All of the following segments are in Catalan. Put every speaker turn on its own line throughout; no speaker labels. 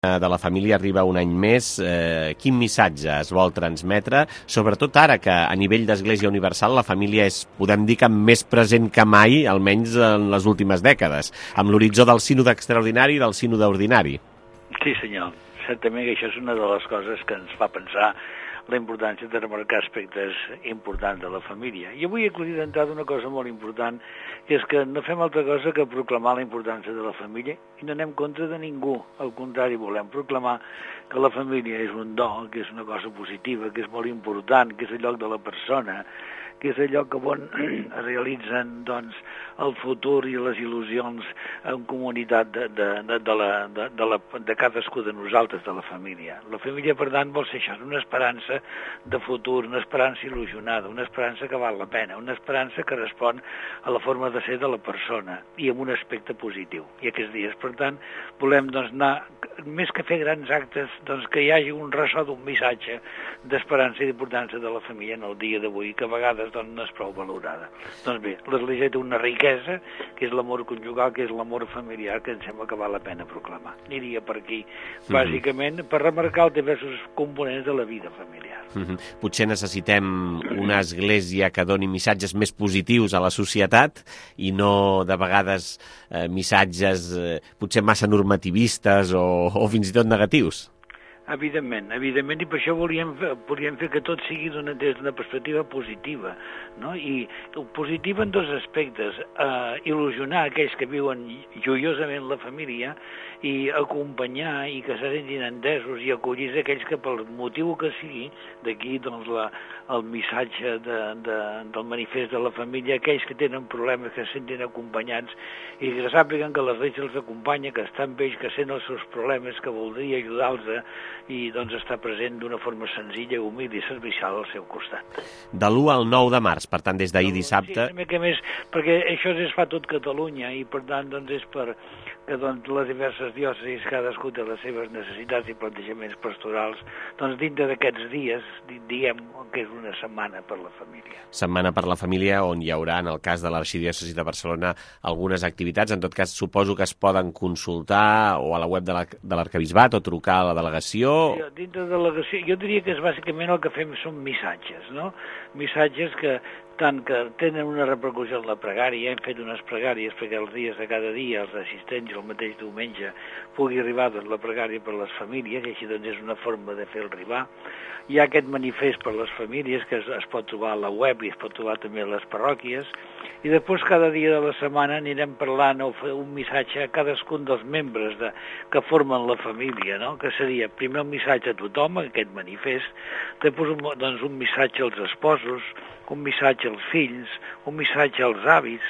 de la família arriba un any més. Quin missatge es vol transmetre, sobretot ara que a nivell d'Església Universal la família és, podem dir, que més present que mai, almenys en les últimes dècades, amb l'horitzó del sínode extraordinari i del sínode ordinari?
Sí, senyor. Certament que això és una de les coses que ens fa pensar la importància de remarcar aspectes importants de la família. I avui he acudit d'entrada una cosa molt important, que és que no fem altra cosa que proclamar la importància de la família i no anem contra de ningú. Al contrari, volem proclamar que la família és un do, que és una cosa positiva, que és molt important, que és el lloc de la persona, que és el lloc on es realitzen doncs, el futur i les il·lusions en comunitat de cadascú de nosaltres, de la família. La família, per tant, vol ser això, una esperança de futur, una esperança il·lusionada, una esperança que val la pena, una esperança que respon a la forma de ser de la persona i amb un aspecte positiu. I aquests dies, per tant, volem doncs, anar, més que fer grans actes, doncs, que hi hagi un ressò d'un missatge d'esperança i d'importància de la família en el dia d'avui, que a vegades doncs, no és prou valorada. Doncs bé, l'Església té una riquesa, que és l'amor conjugal, que és l'amor familiar, que em sembla que val la pena proclamar. Aniria per aquí, bàsicament, per remarcar els diversos components de la vida familiar.
Potser necessitem una església que doni missatges més positius a la societat i no, de vegades, missatges potser massa normativistes o fins i tot negatius.
Evidentment, i per això volíem fer que tot sigui des d'una perspectiva positiva, no? I positiva en dos aspectes, il·lusionar aquells que viuen joiosament la família i acompanyar i que se sentin entesos i acollir aquells que pel motiu que sigui, d'aquí doncs el missatge del manifest de la família, aquells que tenen problemes, que se sentin acompanyats i que sàpiguen que l'Església els acompanya, que està amb ells, que sent els seus problemes, que voldria ajudar-los i doncs està present d'una forma senzilla, humil i servicial al seu costat.
De l'1 al 9 de març, per tant, des d'ahir dissabte...
Sí, una mica més, perquè això es fa tot Catalunya i per tant doncs és per que doncs, les diverses diòcesis, cadascú té les seves necessitats i plantejaments pastorals, doncs dintre d'aquests dies diem que és una setmana per la família.
Setmana per la família, on hi haurà, en el cas de l'Arxidiòcesi de Barcelona, algunes activitats. En tot cas, suposo que es poden consultar o a la web de l'Arquebisbat o trucar a la delegació.
Sí, dintre de la delegació, jo diria que és bàsicament el que fem són missatges, no? Missatges que tant que tenen una repercussió en la pregària, hem fet unes pregàries perquè els dies de cada dia els assistents el mateix diumenge pugui arribar doncs, la pregària per les famílies, i així doncs és una forma de fer-lo arribar. Hi ha aquest manifest per les famílies que es pot trobar a la web i es pot trobar també a les parròquies, i després cada dia de la setmana anirem parlant o fer un missatge a cadascun dels membres que formen la família, no? Que seria primer un missatge a tothom, aquest manifest, després doncs, un missatge als esposos, un missatge als fills, un missatge als avis,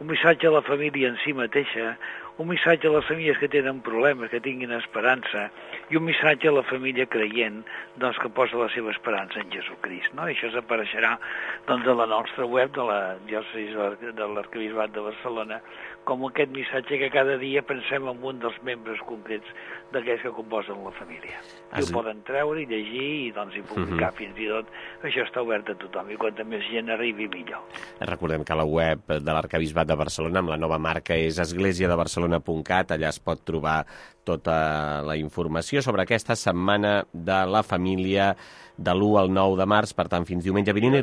un missatge a la família en si mateixa, un missatge a les famílies que tenen problemes, que tinguin esperança, i un missatge a la família creient doncs, que posa la seva esperança en Jesucrist. No? I això apareixerà doncs, a la nostra web de la diòcesi de l'Arquebisbat de Barcelona com aquest missatge que cada dia pensem en un dels membres concrets d'aquells que composen la família. I ho poden treure i llegir i, doncs, i publicar fins i tot. Això està obert a tothom i quanta més gent arribi millor.
Recordem que la web de l'Arquebisbat de Barcelona amb la nova marca és esglesiadebarcelona.cat. Allà es pot trobar tota la informació sobre aquesta setmana de la família de l'1 al 9 de març, per tant, fins diumenge vinent.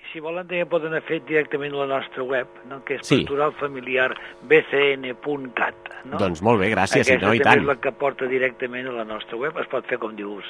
Si volen, també poden anar fet directament a la nostra web, no? Que és pastoralfamiliarbcn.cat. No?
Doncs molt bé, gràcies.
Aquesta
i
també és la que porta directament a la nostra web. Es pot fer, com dius,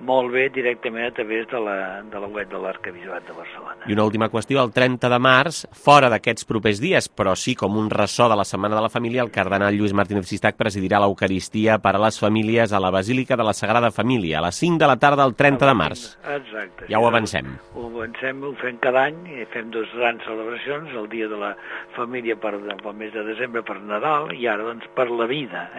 molt bé directament a través de la web de l'Arquebisbat de Barcelona.
I una última qüestió, el 30 de març, fora d'aquests propers dies, però sí com un ressò de la Setmana de la Família, el cardenal Lluís Martínez Sistac presidirà l'Eucaristia per a les famílies a la Basílica de la Sagrada Família, a les 5 de la tarda del 30 de març.
Exacte.
Ja ho avancem.
Ho avancem, ho fem cada any, i fem dues grans celebracions, el dia de la família pel mes de desembre per Nadal, i ara doncs per la vida.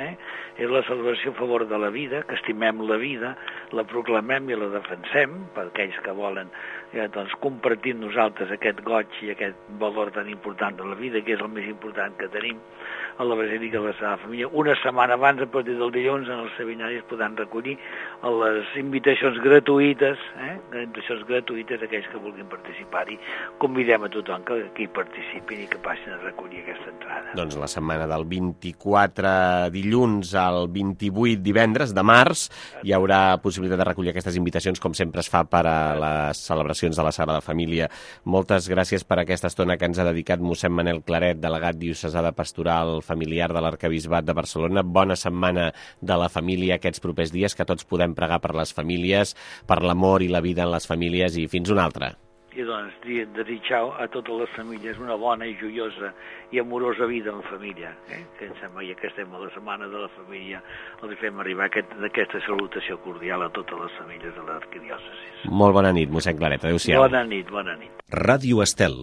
És la celebració a favor de la vida, que estimem la vida, la proclamem i la defensem, per aquells que volen doncs, compartir amb nosaltres aquest goig i aquest valor tan important de la vida, que és el més important que tenim. a la Basílica de la Sagrada Família. Una setmana abans, a partir del dilluns, en els seminaris podran recollir les invitacions gratuïtes, aquells que vulguin participar-hi. Convidem a tothom que hi participin i que passin a recollir aquesta entrada.
Doncs la setmana del 24 dilluns al 28 divendres de març hi haurà possibilitat de recollir aquestes invitacions, com sempre es fa per a les celebracions de la Sagrada Família. Moltes gràcies per aquesta estona que ens ha dedicat mossèn Manel Claret, delegat diocesà de Pastoral Familiar de l'Arquebisbat de Barcelona. Bona setmana de la família aquests propers dies, que tots podem pregar per les famílies, per l'amor i la vida en les famílies, i fins una altra.
I doncs desitjau a totes les famílies una bona i joiosa i amorosa vida en família. Que em sembla que estem a la setmana de la família, els fem arribar aquesta salutació cordial a totes les famílies de l'arquidiòcesi.
Molt bona nit, mossèn Claret. Adéu-siau.
Bona nit, bona nit.
Ràdio Estel.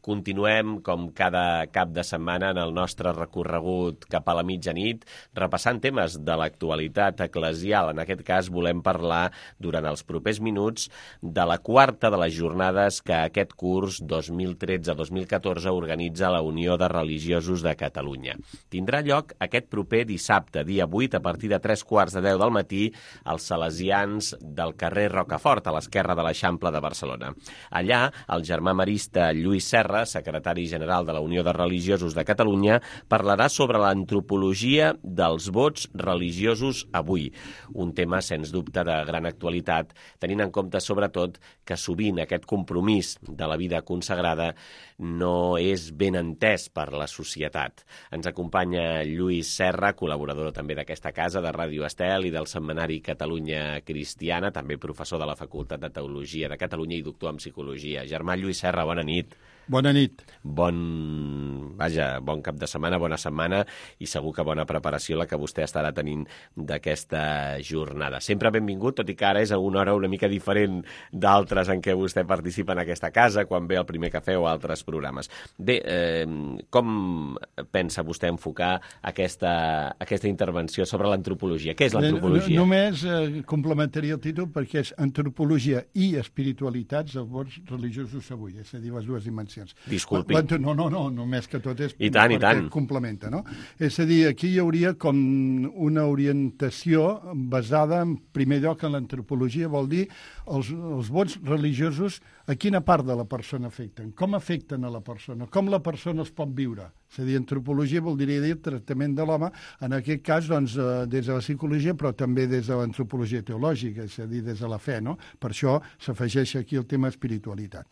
Continuem, com cada cap de setmana, en el nostre recorregut cap a la mitjanit, repassant temes de l'actualitat eclesial. En aquest cas, volem parlar, durant els propers minuts, de la quarta de les jornades que aquest curs 2013-2014 organitza la Unió de Religiosos de Catalunya. Tindrà lloc aquest proper dissabte, dia 8, a partir de 3:15 del matí, als Salesians del carrer Rocafort, a l'esquerra de l'Eixample de Barcelona. Allà, el germà marista Lluís Serra, secretari general de la Unió de Religiosos de Catalunya, parlarà sobre l'antropologia dels vots religiosos avui. Un tema, sens dubte, de gran actualitat, tenint en compte, sobretot, que sovint aquest compromís de la vida consagrada no és ben entès per la societat. Ens acompanya Lluís Serra, col·laborador també d'aquesta casa, de Ràdio Estel i del Setmanari Catalunya Cristiana, també professor de la Facultat de Teologia de Catalunya i doctor en Psicologia. Germà Lluís Serra, bona nit.
Bona nit.
Bon cap de setmana, bona setmana, i segur que bona preparació la que vostè estarà tenint d'aquesta jornada. Sempre benvingut, tot i que ara és a una hora una mica diferent d'altres en què vostè participa en aquesta casa, quan ve el primer cafè o altres programes. Bé, com pensa vostè enfocar aquesta intervenció sobre l'antropologia? Què és l'antropologia?
Només complementaria el títol perquè és antropologia i espiritualitats dels vots religiosos avui, és a dir, les dues dimensions.
Disculpi.
No, només que tot és
I tant.
complementa, no? És a dir, aquí hi hauria com una orientació basada en primer lloc en l'antropologia, vol dir els vots religiosos a quina part de la persona afecten, com afecten a la persona, com la persona es pot viure. És a dir, antropologia vol dir tractament de l'home, en aquest cas doncs, des de la psicologia, però també des de l'antropologia teològica, és a dir, des de la fe, no? Per això s'afegeix aquí el tema espiritualitat.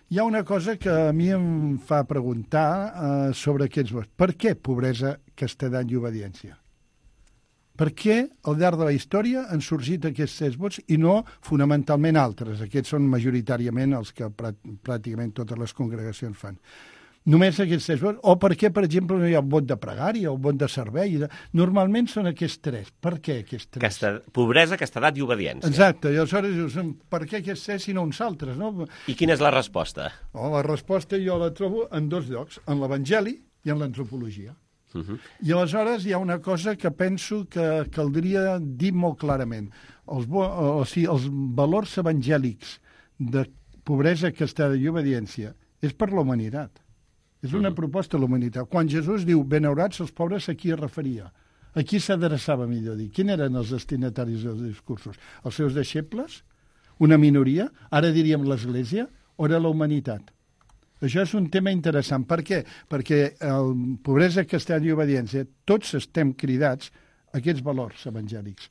Hi ha una cosa que a mi em fa preguntar sobre aquests vots. Per què pobresa, castedat i obediència? Per què al llarg de la història han sorgit aquests 6 vots i no fonamentalment altres? Aquests són majoritàriament els que pràcticament totes les congregacions fan. Només aquests 6 vots? O per què, per exemple, no hi ha el vot de pregària o el vot de servei? Normalment són aquests 3. Per què aquests 3?
Pobresa, castedat i obediència.
Exacte. I aleshores dius, per què aquests 3 i no uns altres? No?
I quina és la resposta?
La resposta jo la trobo en 2 llocs, en l'Evangeli i en l'antropologia. I aleshores hi ha una cosa que penso que caldria dir molt clarament. Els valors evangèlics de pobresa, castedat i obediència és per la humanitat. És una proposta a la humanitat. Quan Jesús diu benaurats els pobres, a qui es referia? A qui s'adreçava, millor dir? Quins eren els destinataris dels discursos? Els seus deixebles? Una minoria? Ara diríem l'Església? O era la humanitat? Això és un tema interessant. Per què? Perquè pobresa, castedat i obediència, tots estem cridats a aquests valors evangèlics.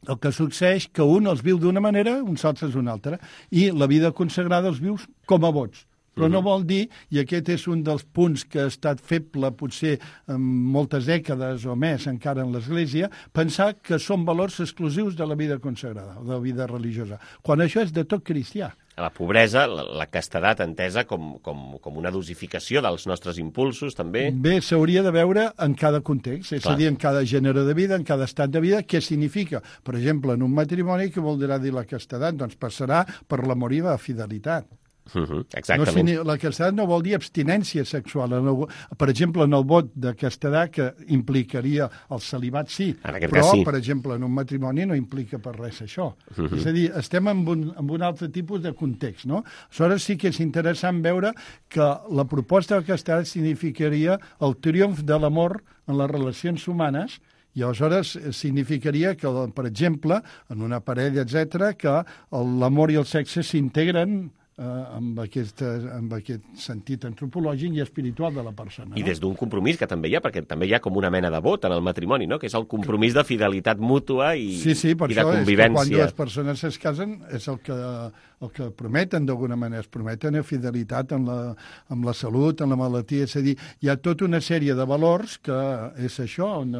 El que succeeix que un els viu d'una manera, uns altres d'una altra, i la vida consagrada els vius com a vots. Però no vol dir, i aquest és un dels punts que ha estat feble potser en moltes dècades o més encara en l'Església, pensar que són valors exclusius de la vida consagrada, de la vida religiosa, quan això és de tot cristià.
La pobresa, la castedat entesa com una dosificació dels nostres impulsos, també.
Bé, s'hauria de veure en cada context, és a dir, en cada gènere de vida, en cada estat de vida, què significa. Per exemple, en un matrimoni, què voldrà dir la castedat? Doncs passarà per l'amor i la fidelitat.
Exactament.
La castedat no vol dir abstinència sexual. Per exemple, en el vot de castedat, que implicaria el celibat, sí, però, per exemple, en un matrimoni no implica per res això. És a dir, estem en un altre tipus de context, no? Aleshores sí que és interessant veure que la proposta del castedat significaria el triomf de l'amor en les relacions humanes, i aleshores significaria que, per exemple, en una parella, etc., que l'amor i el sexe s'integren amb aquest sentit antropològic i espiritual de la persona.
I des d'un compromís que també hi ha, perquè també hi ha com una mena de vot en el matrimoni, no? Que és el compromís de fidelitat mútua i de convivència.
Sí, per això és que quan dues persones es casen és el que prometen d'alguna manera, es prometen fidelitat amb la salut, amb la malaltia, és a dir, hi ha tota una sèrie de valors que és això, on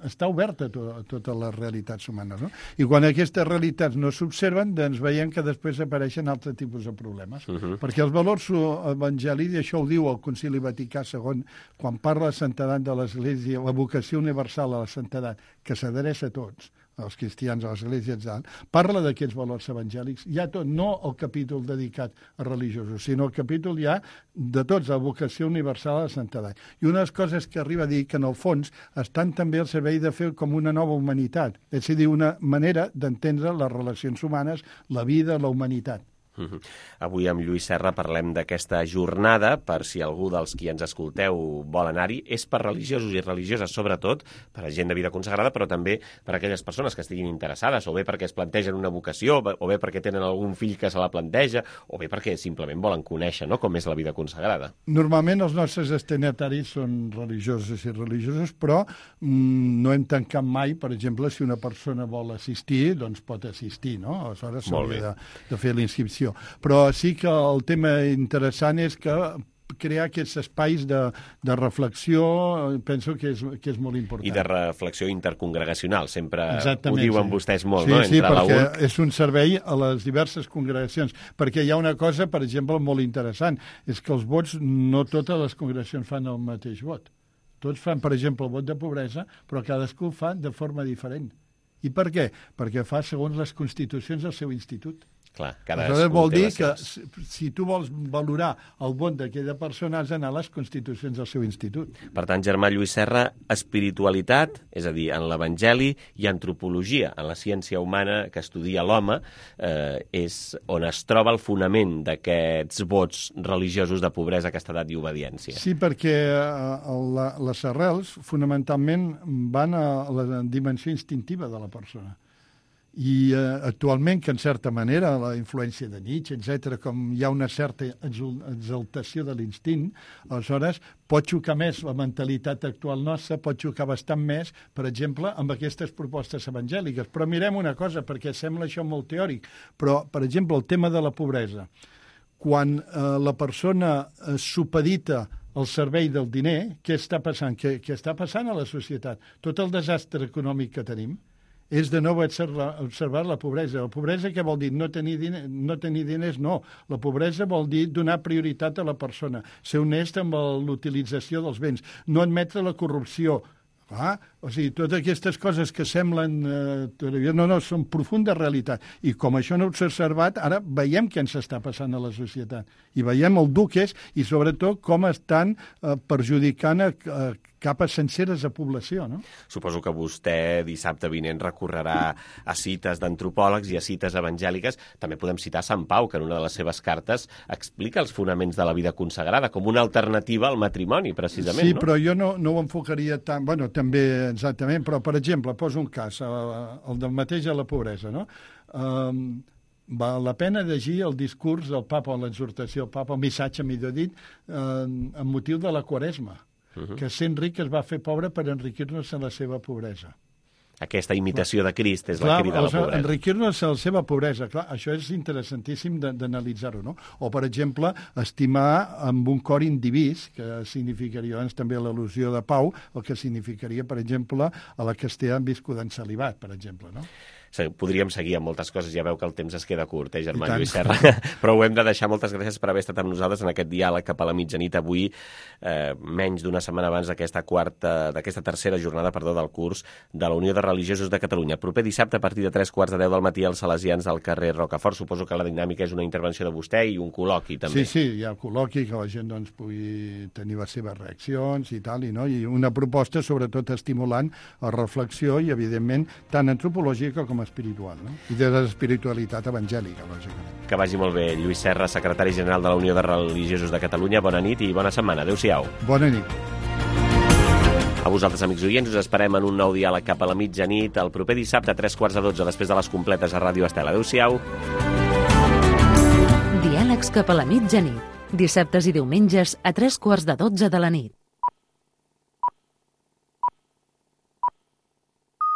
està oberta tota les realitats humanes, no? I quan aquestes realitats no s'observen, doncs veiem que després apareixen altres tipus de problemes. Perquè els valors evangèlics, i això ho diu el Concili Vaticà II, quan parla de santedat de l'Església, la vocació universal a la santedat, que s'adreça a tots, als cristians, a l'Església, etc., parla d'aquests valors evangèlics. Hi ha tot, no el capítol dedicat a religiosos, sinó el capítol ja de tots, la vocació universal a la santedat. I una de les coses que arriba a dir que, en el fons, estan també al servei de fer com una nova humanitat, és a dir, una manera d'entendre les relacions humanes, la vida, la humanitat.
Avui amb Lluís Serra parlem d'aquesta jornada, per si algú dels qui ens escolteu vol anar-hi. És per religiosos i religioses, sobretot, per a gent de vida consagrada, però també per a aquelles persones que estiguin interessades, o bé perquè es plantegen una vocació, o bé perquè tenen algun fill que se la planteja, o bé perquè simplement volen conèixer, no?, com és la vida consagrada.
Normalment els nostres destinataris són religiosos i religiosos, però no hem tancat mai, per exemple, si una persona vol assistir, doncs pot assistir, no? Aleshores s'hauria de fer la inscripció. Però sí que el tema interessant és que crear aquests espais de reflexió penso que és molt important.
I de reflexió intercongregacional, sempre
Exactament,
ho diuen vostès molt,
sí,
no?
Sí, perquè és un servei a les diverses congregacions, perquè hi ha una cosa, per exemple, molt interessant, és que els vots, no totes les congregacions fan el mateix vot. Tots fan, per exemple, el vot de pobresa, però cadascú fa de forma diferent. I per què? Perquè fa segons les constitucions del seu institut.
Clar,
aleshores vol dir que si tu vols valorar el vot d'aquella persona has d'anar a les constitucions del seu institut.
Per tant, germà Lluís Serra, espiritualitat, és a dir, en l'Evangeli, i antropologia, en la ciència humana que estudia l'home, és on es troba el fonament d'aquests vots religiosos de pobresa, castedat i obediència.
Sí, perquè les arrels fonamentalment van a la dimensió instintiva de la persona. I actualment, que en certa manera la influència de Nietzsche, etc., com hi ha una certa exaltació de l'instint, aleshores pot xocar més la mentalitat actual nostra, pot xocar bastant més, per exemple, amb aquestes propostes evangèliques. Però mirem una cosa, perquè sembla això molt teòric, però, per exemple, el tema de la pobresa. Quan la persona supedita al servei del diner, què està passant? Què està passant a la societat? Tot el desastre econòmic que tenim és de nou observar la pobresa. La pobresa què vol dir? No tenir diners, no. La pobresa vol dir donar prioritat a la persona, ser honest amb l'utilització dels béns, no admetre la corrupció. O sigui, totes aquestes coses que semblen... no, són profunda realitat. I com això no s'ha observat, ara veiem què ens està passant a la societat. I veiem el dur que és, i sobretot com estan perjudicant capes senceres de població, no?
Suposo que vostè dissabte vinent recorrerà a cites d'antropòlegs i a cites evangèliques. També podem citar Sant Pau, que en una de les seves cartes explica els fonaments de la vida consagrada com una alternativa al matrimoni, precisament,
sí,
no?
Sí, però jo no ho enfocaria tant... Bueno, també, exactament, però, per exemple, poso un cas, el del mateix a la pobresa, no? Val la pena llegir el discurs del papa, l'exhortació del papa, el missatge, millor dit, amb motiu de la Quaresma, que sent ric es va fer pobre per enriquir-nos en la seva pobresa.
Aquesta imitació de Crist és la crida a la pobresa.
Enriquir-nos en la seva pobresa, clar, això és interessantíssim d'analitzar-ho, no? O, per exemple, estimar amb un cor indivís, que significaria, doncs, també l'al·lusió de Pau, el que significaria, per exemple, a la castellà viscuda en celibat, per exemple, no?
Podríem seguir amb moltes coses, ja veu que el temps es queda curt, Germà Lluís Serra, però ho hem de deixar. Moltes gràcies per haver estat amb nosaltres en aquest diàleg cap a la mitjanit avui, menys d'una setmana abans d'aquesta tercera jornada del curs de la Unió de Religiosos de Catalunya. Proper dissabte, a partir de 3:15 del matí, als Salesians del carrer Rocafort. Suposo que la dinàmica és una intervenció de vostè i un col·loqui, també.
Sí, hi ha col·loqui, que la gent doncs, pugui tenir les seves reaccions i tal, i una proposta sobretot estimulant a reflexió i, evidentment, tant antropològica com espiritual, no? I de l'espiritualitat evangèlica, lògicament.
Que vagi molt bé. Lluís Serra, secretari general de la Unió de Religiosos de Catalunya. Bona nit i bona setmana. Adéu-siau.
Bona nit.
A vosaltres, amics oients, us esperem en un nou diàleg cap a la mitjanit el proper dissabte a 3:15, després de les completes a Ràdio Estel. Adéu-siau.
Diàlegs cap a la mitjanit. Dissabtes i diumenges a 3:15 de la nit.